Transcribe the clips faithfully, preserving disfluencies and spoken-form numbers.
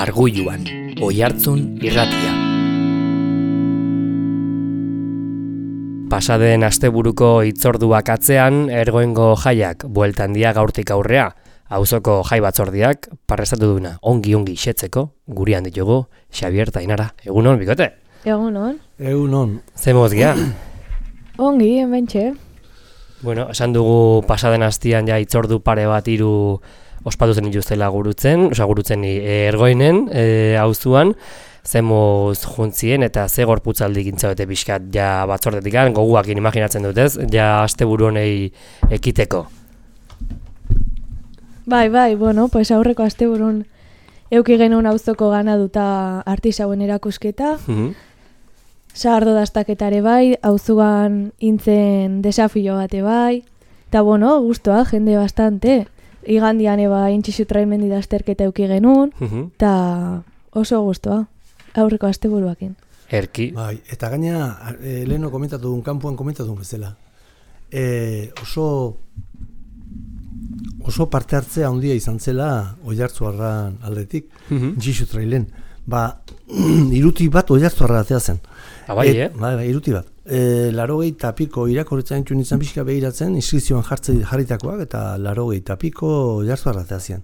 Argulluan, Oihartzun irratia. Pasaden asteburuko hitzorduak atzean, ergoengo jaiak bueltan dia gaurtik aurrea. Auzoko jai batzordiak parrestatu duna ongi-ongi xetzeko, gurian ditugu Xabier eta Ainara. Egunon, bikote? Egunon. Egunon. Zemoz gea? Ongi, hementxe. Bueno, esan dugu pasaden astian ja hitzordu pare bat hiru ospatu zen dituztela gurutzen, osea gurutzen e, ergoinen e, auzuan, zemoz juntzien eta ze gorputzaldi gintzabete pixkat ja batzordetik goguakin imaginatzen dutez, ja asteburu honei ekiteko. Bai, bai, bueno, pues aurreko asteburun euki genuen auzoko ganaduta artisauen erakusketa. Mhm. Sagardo dastaketare bai, auzuan intzen desafio bate bai. Eta bueno, gustoa, jende bastante. Igandian eba intxixu traimendi dasterketa euki genuen, eta oso gustoa, aurreko asteburuakin. Erki. Bai, eta gaina, e, leheno komentatu duen, kanpoan komentatu duen bezala. E, oso oso parte hartzea handia izan zela Oihartzuarran aldetik, Mhm. intxixu trailen. Ba, iruti bat Oihartzuarra atea zen. Ah, bai, eh? Bai, bai, iruti bat. E, larogei tapiko irakorretzen txun izan pixka behiratzen, inskripzioan jarritakoak, eta larogei tapiko Oihartzuarra atea zian.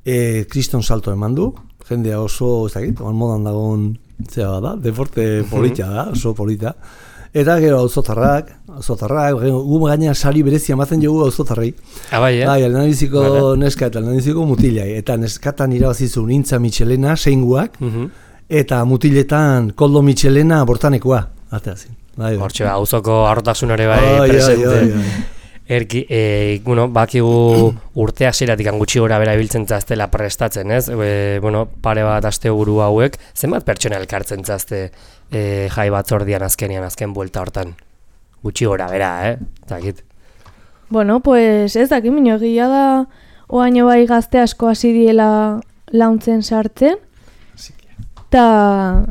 E, kriston salto eman du, jendea oso, ez dakit, oan modan dagoen zea da, deporte polita da, oso polita. Eta gero auzotarrak, auzotarrak, gu gainean sari berezia ematen jogu auzotarrei. Ah, bai, eh? Bai, lehendabiziko Vale. neska eta lehendabiziko mutilai. Eta neskatan irabazizu Nintza Michelena, seinguak, Mhm. eta mutiletan Koldo Michelena bortanekoa. Ateazin. Bai, bai. Hortxe, auzoko harrotasunare bai Ai, ai, presente. ai, ai. Erki, e, bueno, bakigu urte hasieratik gutxi gora bera ibiltzen zaztela prestatzen, ez? E, bueno, pare bat asteburu hauek, zenbat pertsona elkartzen zazte e, jai batzordian azkenian, azken buelta hortan? Gutxi gora bera, eh? Zakit. Bueno, pues ez dakit minio egia da oaino bai gazte asko hasi diela launtzen sartzen, eta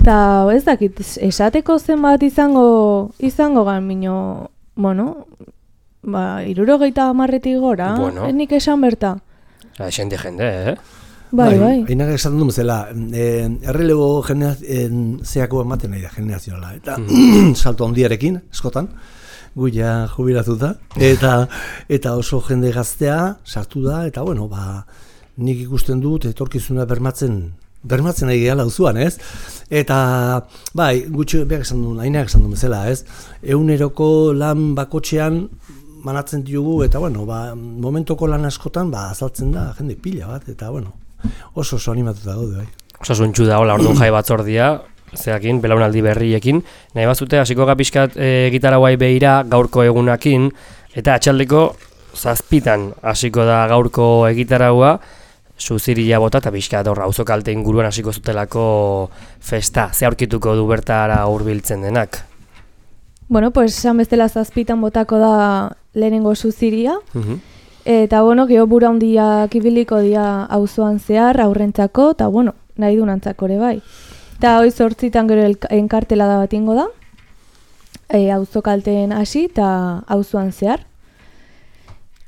ta, ez dakit, esateko zenbat izango izango gan minio, bueno, ba, irurogeita hamarretik gora, Bueno. ez nik esan berta. Osa, xente jende, eh? Bai, bai. Ainak esaten du bezala, eh, errelebo generazioen zeako ematen nahi da generazioala. Eta salto handiarekin, eskotan, gu ja jubilatuta. Eta, eta oso jende gaztea sartu da, eta bueno, ba, nik ikusten dut etorkizuna bermatzen bermatzen nahi gehala auzuan, ez? Eta, bai, gutxi behar esan duen, ainak esan duen bezala, ez? Eguneroko lan bakotxean manatzen diogu, eta bueno, ba, momentoko lan askotan, ba, azaltzen da, jende pila bat, eta bueno, oso oso animatuta gaude, bai. Osasuntxu da, hola, orduan jai batzordia, zeakin, belaunaldi berriekin. Nahi bazute, hasiko gapiskat e, gitara guai behira gaurko egunakin, eta atxaldeko zazpitan hasiko da gaurko egitaraua, suziria bota eta pixkat horra auzokalte inguruan hasiko zutelako festa. Ze aurkituko du bertara hurbiltzen denak? Bueno, pues esan bestela zazpitan botako da lehenengo suziria, Mhm. eta bueno, geho bura handiak ibiliko dira auzoan zehar, aurrentzako, eta bueno, nahi dunantzako ere bai. Eta hoi zortzitan gero elka- enkartela da bat ingo da, e, auzokalteen hasi eta auzoan zehar.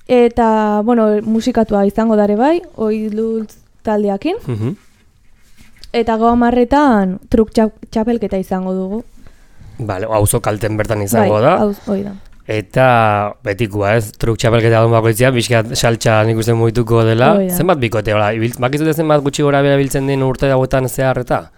Eta, bueno, musikatua izango dare bai, hoi lultz taldeakin, Mhm. eta gau amarretan truk txap- txapelketa izango dugu. Bale, auzo kalten bertan izango bai, da. auz, hoi da. Eta betikoa, ez? Truk txapelketa duen bakoitzia, bizkat saltxa nik uste muituko dela. Hoi da. Zenbat bikote, hola, ibil- bakizute zenbat gutxi gora bera biltzen den urte dagoetan zehar eta?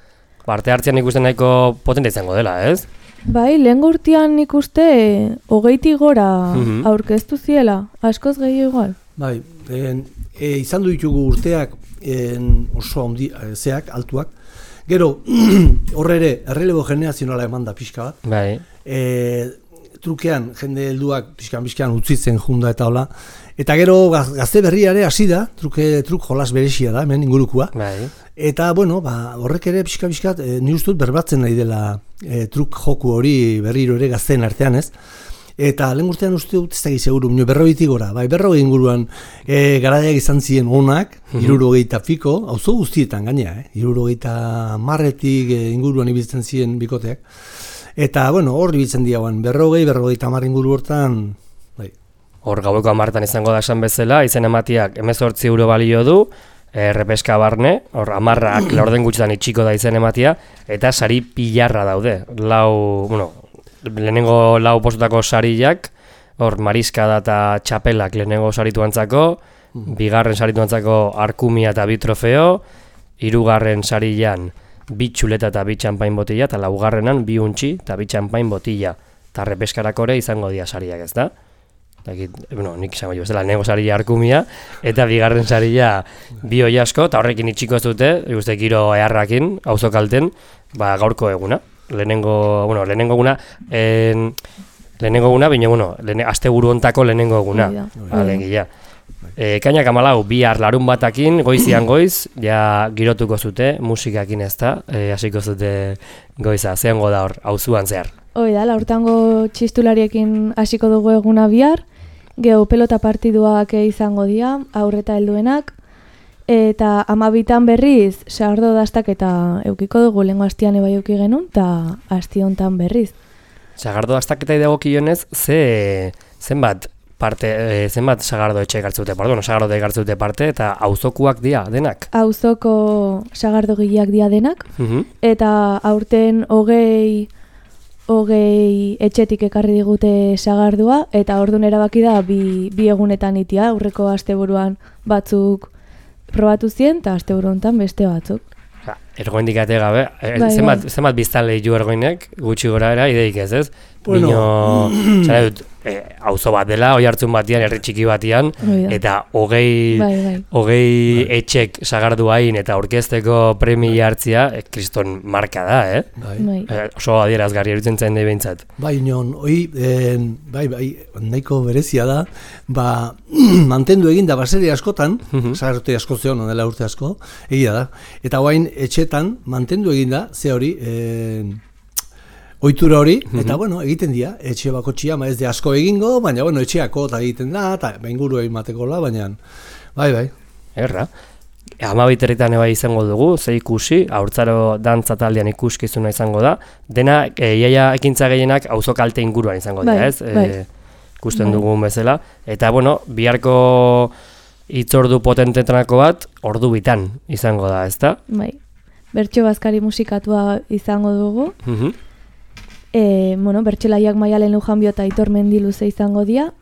Parte hartzean nik uste nahiko potente izango dela, ez? Bai, lehen urtean nik uste hogeiti gora Mhm. aurkeztu ziela, askoz gehi igual. Bai, en, e, izan du ditugu urteak en, oso handi, e, zeak, altuak. Gero, horre ere, errelebo generazionala eman da pixka bat. Bai. E, trukean, jende helduak pixkan-pixkan utzitzen junda eta hola. Eta gero, gaz, gazte berriare hasi da, truke, truk jolas beresia da, hemen ingurukua. Bai. Eta, bueno, ba, horrek ere pixka-pixkat, e, ni uste dut berbatzen nahi dela e, truk joku hori berriro ere gazteen artean, ez? Eta lehen urtean uste dut ez da seguru, minio berrogeiti gora, bai, berrogei inguruan e, garaiak izan ziren onak, hirurogeita piko, auzo guztietan gainea, eh? hirurogeita marretik e, inguruan ibiltzen ziren bikoteak. Eta, bueno, hor ibiltzen diagoan, berrogei, berrogeita mar inguru hortan, bai. Hor gaueko hamartan izango da esan bezala, izen ematiak hemezortzi euro balio du, errepeska barne, hor amarrak laurden gutxitan itxiko da izen ematia, eta sari pilarra daude. Lau, bueno, lehenengo lau postutako sariak, hor mariskada eta txapelak lehenengo sarituantzako, bigarren sarituantzako arkumia eta bi trofeo, hirugarren sarian bi txuleta eta bi txampain botila, eta laugarrenan bi untxi eta bi txampain botila. Eta repeskarako ere izango dira sariak, ez da? Bueno, nik izango jo, ez dela, lehenengo saria arkumia, eta bigarren saria bi hoi asko, eta horrekin itxiko ez dute, ikuste giro eharrakin, auzokalten, ba, gaurko eguna. Lehenengo, bueno, lehenengo eguna, en, lehenengo eguna, baina, bueno, lehene, aste buru ontako lehenengo eguna. Alegia. E, kainak amalau, bihar larun batakin, goizian goiz, ja girotuko zute, musikakin ez da, e, hasiko zute goiza, zehango da hor, auzuan zehar. Hoi da, laurtango txistulariekin hasiko dugu eguna bihar, geho pelota partiduak izango dira, aurreta helduenak, eta amabitan berriz, sagardo dastak eta eukiko dugu, lehenko hastian eba euki genuen, eta hasti hontan berriz. Sagardo dastak eta idagokionez, ze, zenbat parte, e, zenbat sagardo etxe egartzute, pardon, sagardo egartzute parte, eta auzokuak dira denak? Auzoko sagardo gileak dira denak, uh-huh. eta aurten hogei... hogei etxetik ekarri digute sagardua, eta ordun erabaki da bi, bi egunetan itia, aurreko asteburuan batzuk probatu zien, eta asteburu hontan beste batzuk. Ja, ergoindik ate gabe, e, bai, zenbat, bai. zenbat biztan lehiu ergoinek, gutxi gora era, ideik ez ez? Bueno. Bino, zara dut, e, auzo bat dela, oi hartzun batian, herri txiki batian, eta hogei, bai, bai. hogei etxek sagardu hain eta orkesteko premia hartzia, e, kriston marka da, eh? Bai. Bai. E, oso adierazgarri erutzen zain nahi behintzat. Bai, inon, hoi, eh, bai, bai, nahiko berezia da, ba, mantendu egin da baseri askotan, Mhm. sagardote asko zeon, dela urte asko, egia da, eta guain etxetan mantendu egin da, ze hori, eh, ohitura hori, eta bueno, egiten dira, etxe bakotxia, ma ez de asko egingo, baina bueno, etxeako eta egiten da, eta inguru egin matekola, baina, bai, bai. Erra. Amabiterritan eba izango dugu, ze ikusi, haurtzaro dantza taldean ikuskizuna izango da, dena, e, iaia ekintza gehienak auzo kalte inguruan izango dira, Bai, ez? bai. E, ikusten Bai. dugun bezala, eta bueno, biharko hitzordu potentetranako bat, ordu bitan izango da, ezta? Bai. Bertso bazkari musikatua izango dugu. Mhm. E, bueno, bertsolaiak Maialen Lujanbio eta Aitor Mendiluze izango dira.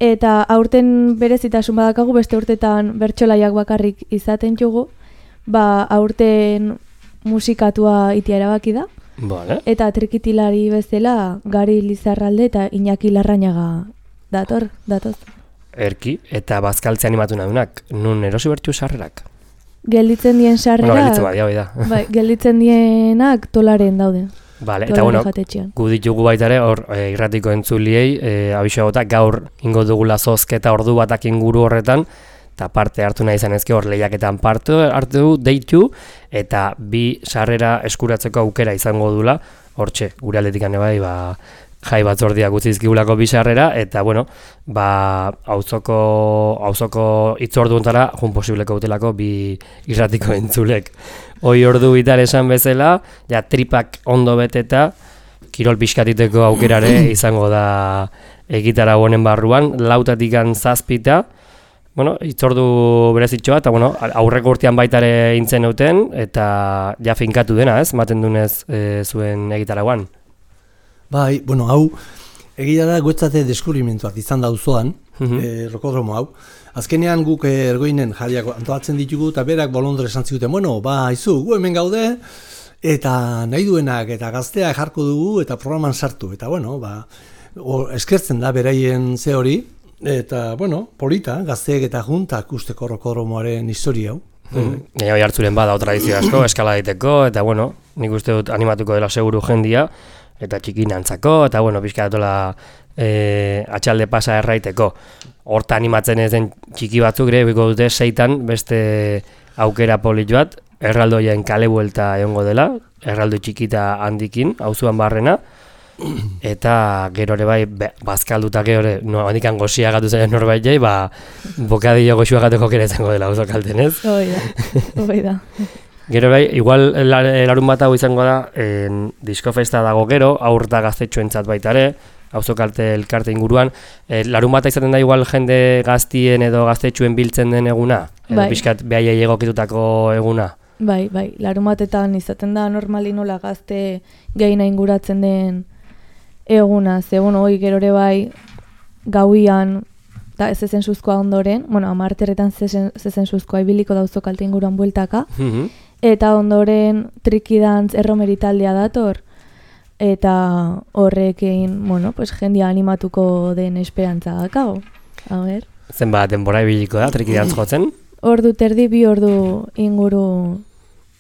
Eta aurten berezitasun badakagu, beste urtetan bertsolaiak bakarrik izaten jugu, ba aurten musikatua itia erabaki da. Vale. Eta trikitilari bezala Gari Lizarralde eta Iñaki Larrañaga dator, datoz. Erki, eta bazkaltze animatu nadunak, nun erosi bertxu sarrerak? Gelditzen dien sarrerak, Bueno, gelditzen badia, hoi da. bai, gelditzen dienak Tolaren daude. Vale, eta Tolaren bueno, jatetxean. gu ditugu baita ere, hor e, irratiko entzuliei, e, abixo gota, gaur ingo dugula zozketa ordu batak inguru horretan, eta parte hartu nahi izan ezke hor lehiaketan parte hartu deitu, eta bi sarrera eskuratzeko aukera izango dula, hortxe, gure aldetikan bai, ba, jai batzordiak utzi dizkigulako bi sarrera, eta bueno, ba, auzoko, auzoko hitzordu hontara, jun posibleko utelako bi irratiko entzulek. Hoi ordu bitar esan bezala, ja tripak ondo beteta, kirol pixkatiteko aukerare izango da egitara honen barruan, lautatikan zazpita, bueno, hitzordu berezitxoa, eta bueno, aurreko urtean baitare intzen euten, eta ja finkatu dena, ez, maten dunez e, zuen egitaragoan. Bai, bueno, hau, egia da guetzate deskubrimentuak izan da auzoan, Mhm. eh, rokodromo hau. Azkenean guk eh, ergoinen jariak antolatzen ditugu, eta berak bolondre esan ziguten, bueno, ba, izu, gu hemen gaude, eta nahi duenak eta gazteak jarko dugu, eta programan sartu, eta bueno, ba, o, eskertzen da beraien ze hori, eta bueno, polita, gazteek eta juntak usteko rokodromoaren historia hau. Gaina bai hartzuren bada tradizio asko, eskala daiteko, eta bueno, nik uste dut animatuko dela seguru jendia, eta txikinantzako, eta bueno, pixka datola e, atxalde pasa erraiteko. Horta animatzen ez den txiki batzuk ere, biko dute seitan beste aukera polit bat, erraldoien kale buelta egongo dela, erraldo txikita handikin, auzuan barrena, eta gero ere bai, be, bazkalduta gero ere, no, handikan gozia gatu zaien norbait jai, ba, bokadillo goxua gateko kere izango dela auzo kalten, ez? Hoi da, hoi da. Gero bai, igual larun bat hau izango da, en, diskofesta dago gero, aur da gaztetxoentzat baita ere, auzokalte elkarte inguruan. E, larun bata izaten da igual jende gaztien edo gaztetxuen biltzen den eguna? Edo Bai. pixkat behaiei egokitutako eguna? Bai, bai, larumatetan izaten da normali nola gazte gehiena inguratzen den eguna, ze, bueno, hoi gerore bai gauian, eta ez ezen suzkoa ondoren, bueno, amarterretan zezen suzkoa ibiliko da auzokalte inguruan bueltaka, Mhm. eta ondoren trikidantz erromeritaldea dator, eta horrekin, bueno, pues jendia animatuko den esperantza dakago. A ber. Zenbat denbora ibiliko da, trikidantz jotzen? Ordu terdi, bi ordu inguru.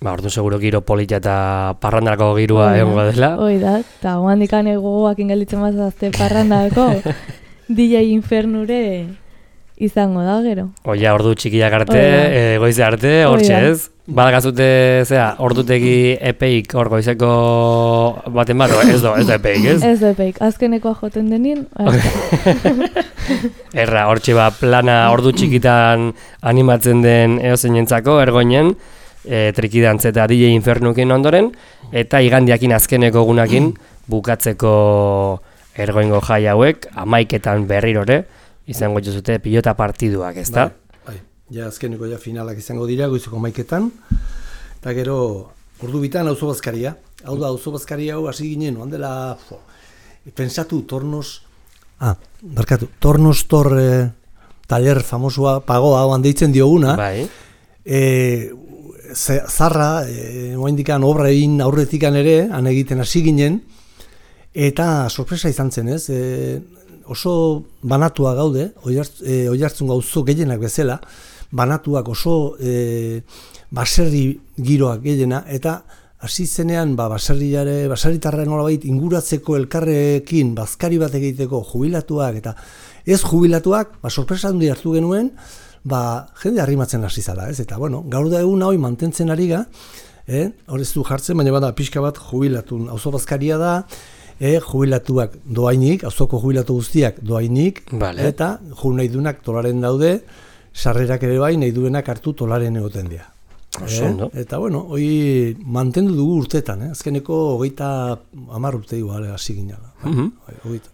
Ba, ordu seguro giro polita eta parrandarako girua Hoi da, egongo dela. Hoi da, eta oandikan egoak ingelitzen mazazte parrandako D J Infernure izango da, gero. Oia, ordu txikiak arte, Hoi da. e, goize arte, Hoi hortxe da. ez? Badakazute, zera, ordutegi epeik hor goizeko baten bat, ez do, ez da epeik, ez? Ez epeik, azkenekoa joten denin, Erra, hortxe ba, plana ordu txikitan animatzen den eozeinentzako, ergoinen, e, trikidantz eta D J Infernukin ondoren, eta igandiakin azkeneko egunakin bukatzeko ergoingo jai hauek, amaiketan berrirore, izango jozute pilota partiduak, ezta? Bai, bai. Ja azkeneko ja finalak izango dira goizeko maiketan, eta gero ordu bitan auzo bazkaria. Hau da, auzo bazkaria hau hasi ginen, oan dela, fo, pensatu tornos, ah, barkatu, tornos tor eh, taller famosua, pagoa, oan deitzen dioguna, Bai. e, ze- zarra, e, oaindikan obra egin aurretikan ere, han egiten hasi ginen, eta sorpresa izan zen, ez? E, oso banatua gaude, oihartz, e, oihartzun gauzo gehienak bezala, banatuak oso e, baserri giroak gehiena, eta hasi zenean ba, baserriare, baserritarra nolabait inguratzeko elkarrekin bazkari bat egiteko jubilatuak eta ez jubilatuak, ba, sorpresa handi hartu genuen, ba, jende arrimatzen hasi zala, ez? Eta, bueno, gaur da egun hau mantentzen ari ga, eh? Hor ez du jartzen, baina bada pixka bat jubilatun auzo bazkaria da, E, jubilatuak doainik, auzoko jubilatu guztiak doainik, Vale. eta ju nahi duenak tolaren daude, sarrerak ere bai nahi duenak hartu tolaren egoten dira. Oso ondo. Eta bueno, hoi mantendu dugu urtetan, eh? Azkeneko hogeita hamar urte igual hasi ginala. Mhm. Bai, hogeita.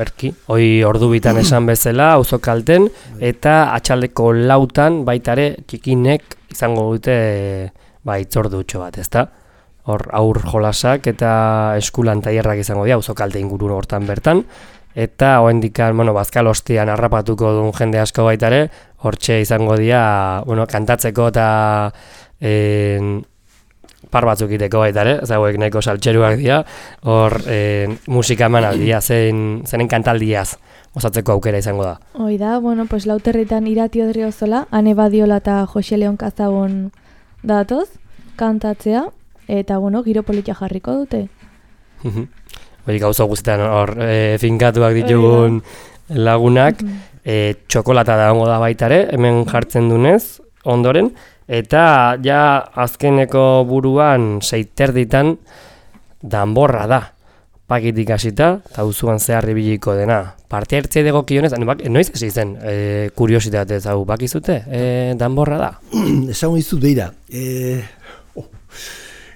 Erki, hoi ordu bitan esan bezala, auzokalten, eta atxaldeko lautan baitare txikinek izango dute ba, itzordutxo bat, ezta? Hor aur jolasak eta eskulan tailerrak izango dira auzokalte inguru hortan bertan, eta oraindikan, bueno, bazkal ostian harrapatuko duen jende asko baitare, hortxe izango dira, bueno, kantatzeko eta en, par batzuk iteko baitare, ez hauek nahiko saltxeruak dira, hor en, musika emanaldia, zen, zenen kantaldiaz osatzeko aukera izango da. Hoi da, bueno, pues lauterritan Irati Odriozola, Ane Badiola eta Jose Leon Kazagon datoz, kantatzea, eta, bueno, giro politia jarriko dute. Hori gauza guztietan hor e, finkatuak ditugun lagunak, e, txokolata da ongo da baitare, hemen jartzen dunez, ondoren, eta ja azkeneko buruan seiterditan danborra da. Pakitik hasita, eta uzuan zehar ibiliko dena. Parte hartzea degokionez, noiz hasi zen, e, kuriositate ez hau bakizute, e, danborra da. Esango dizut beira, e, oh,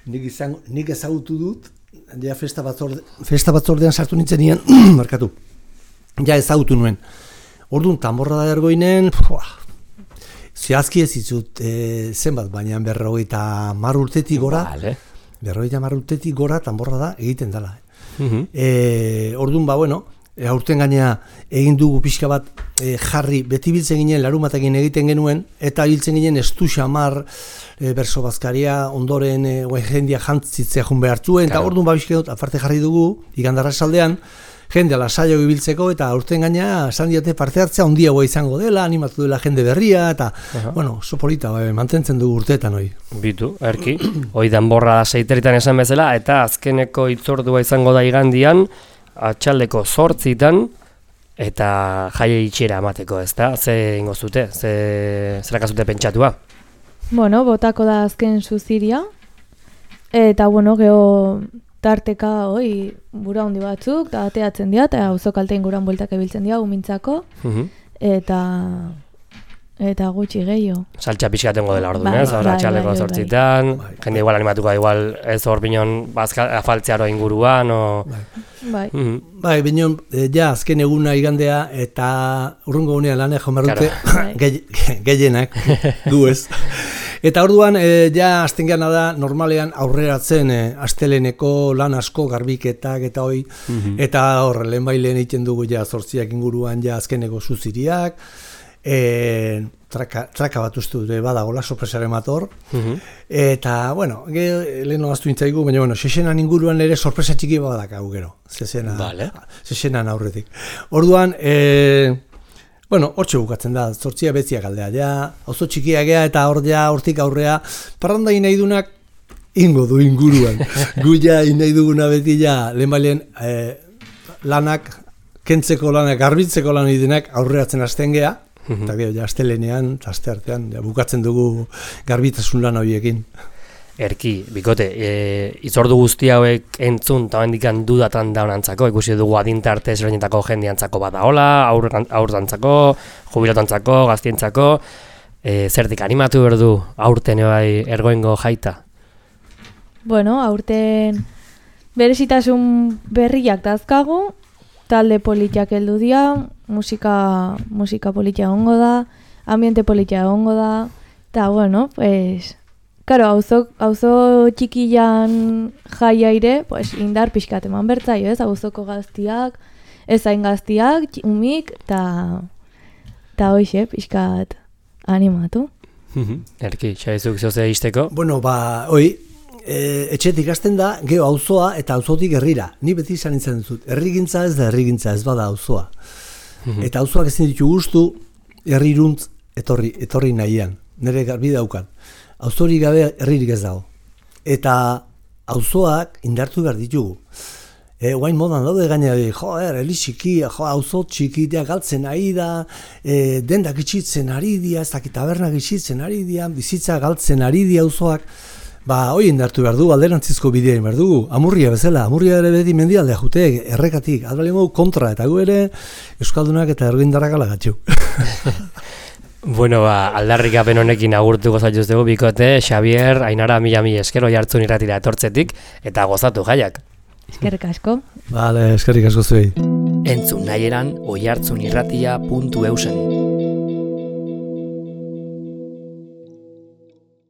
nik, izango, nik ezagutu dut, ja festa, batzorde, festa batzordean sartu nintzen nian, markatu, ja ezagutu nuen. Orduan, danborra da ergoinen, zehazki ez izut e, zenbat, baina berrogeita mar urtetik gora, Vale. berrogeita mar urtetik gora danborra da egiten dela. Mhm. E, orduan, ba, bueno, e, aurten gainea egin dugu pixka bat e, jarri, beti biltzen ginen larumatekin egiten genuen, eta biltzen ginen estu xamar e, berso bazkaria ondoren e, jendia jantzitzea jun behartzuen, eta Claro. orduan ba bizkidot aparte jarri dugu, igandarra saldean, jende alasaio ibiltzeko, eta aurten gainea esan diate parte hartzea ondiagoa izango dela, animatu dela jende berria, eta, Aha. bueno, oso polita, ba, mantentzen dugu urteetan hori. Bitu, erki, hoi danborra da seiterritan esan bezala, eta azkeneko itzordua izango da igandian, atxaldeko zortzitan, eta jaie itxera amateko, ez da? Ze ingo zute, ze zerakazute pentsatua? Bueno, botako da azken zuziria, eta, bueno, geho tarteka, hoi, bura handi batzuk, eta ateatzen dira, eta auzokalte inguruan bueltak ebiltzen dira, umintzako, Mhm. eta eta gutxi gehiago. Saltxa pixkatengo dela orduan, Bai, ez? Ahora bai, txaleko bai, bai. zortzitan, Bai. jende igual animatuko da igual ez hor binon bazka, afaltzearo inguruan, o... Bai. Mhm. Bai, bineon, e, ja, azken eguna igandea, eta urrungo gunean lanek jomarrute Claro. gehi- gehienak, gu ez. Eta orduan, e, ja, azten gana da, normalean aurreratzen e, asteleneko lan asko, garbiketak eta hoi, eta hor, lehen bailen egiten dugu ja zortziak inguruan ja azkeneko zuziriak, e, traka, traka bat uste dure badagola sorpresaren mator, Mhm. eta, bueno, ge, lehen hogaztu intzaigu, baina, bueno, sesenan inguruan ere sorpresa txiki badakagu gero, zesena, Vale. sesenan aurretik. Orduan, e, bueno, hortxe bukatzen da, zortzia betziak aldea, ja, auzo txikia gea eta hor ja, hortik aurrea, parranda nahi dunak ingo du inguruan. Gu ja nahi duguna beti ja, lehen bailen e, lanak, kentzeko lanak, garbitzeko lan denak aurreratzen hasten gea, eta gero, ja, astelenean, eta aste artean, ja, bukatzen dugu garbitasun lan horiekin. Erki, bikote, e, itzordu guzti hauek entzun eta hendikan dudatan daunantzako, ikusi dugu adintarte ezberdinetako jendiantzako badaola, aur, aurdantzako, jubilatantzako, gaztientzako, e, zertik animatu berdu aurten bai ergoengo jaita? Bueno, aurten berezitasun berriak dazkagu, talde politiak heldu dira, musika, musika politia egongo da, ambiente politia egongo da, eta bueno, pues... Karo, auzo, auzo txikian jaiaire, pues, indar pixkat eman bertzaio, ez? Auzoko gaztiak, ezain gaztiak, txi- umik, eta eta hoixe, pixkat animatu. Erki, xaizuk zoze izteko? Bueno, ba, hoi, e, etxetik hasten da, geho auzoa eta auzotik herrira. Ni beti izan nintzen dut, herrigintza ez da herrigintza, ez bada auzoa. Eta auzoak ezin ditu gustu, herriruntz etorri, etorri nahian. Nire garbi daukat. Auzori gabe herririk ez dago. Eta auzoak indartu behar ditugu. E, guain modan daude gainera, joer, heli txikia, jo, auzo txikitea galtzen ari da, e, dendak itxitzen ari dira, ez dakit tabernak itxitzen ari dira, bizitza galtzen ari dira auzoak. Ba, hoi indartu behar du, alderantzizko bidea behar dugu. Amurria bezala, amurria ere beti mendialdea jute, errekatik, adbali modu kontra, eta gu ere Euskaldunak eta ergoindarrak alagatxu. Bueno, ba, aldarrikapen honekin agurtuko zaituztegu bikote, Xabier, Ainara, mila mila esker Oihartzun irratira etortzetik, eta gozatu jaiak. Eskerrik asko. Bale, eskerrik asko zuei. Entzun nahieran oihartzunirratia puntu eusen.